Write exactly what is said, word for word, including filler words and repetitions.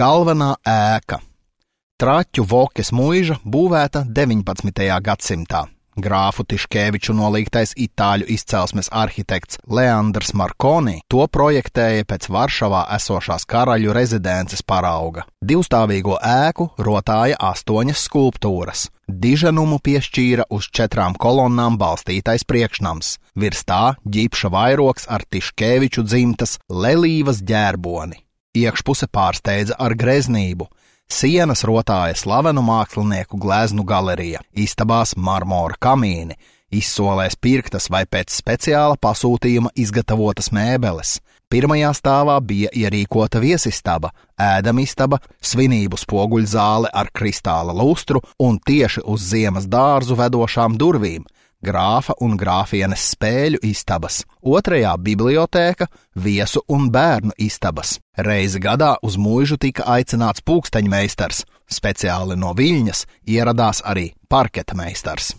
Galvenā ēka. Traķu Vokes muiža būvēta deviņpadsmitajā gadsimtā. Grāfu Tiškeviču nolīgtais itāļu izcelsmes arhitekts Leandrs Marconi to projektēja pēc Varšavā esošās karaļu rezidences parauga. Divstāvīgo ēku rotāja astoņas skulptūras. Diženumu piešķīra uz četrām kolonnām balstītais priekšnams. Virs tā ģipša vairogs ar Tiškeviču dzimtas lelīvas ģērboni. Iekšpuse pārsteidza ar greznību. Sienas rotāja slavenu mākslinieku gleznu galerija, istabās marmora kamīni, izsolēs pirktas vai pēc speciāla pasūtījuma izgatavotas mēbeles. Pirmajā stāvā bija ierīkota viesistaba, ēdamistaba, svinību spoguļzāle ar kristāla lustru un tieši uz ziemas dārzu vedošām durvīm. Grāfa un grāfienes spēļu istabas, otrajā bibliotēka, viesu un bērnu istabas. Reizi gadā uz muižu tika aicināts pūksteņmeistars, speciāli no Viļņas ieradās arī parketa meistars.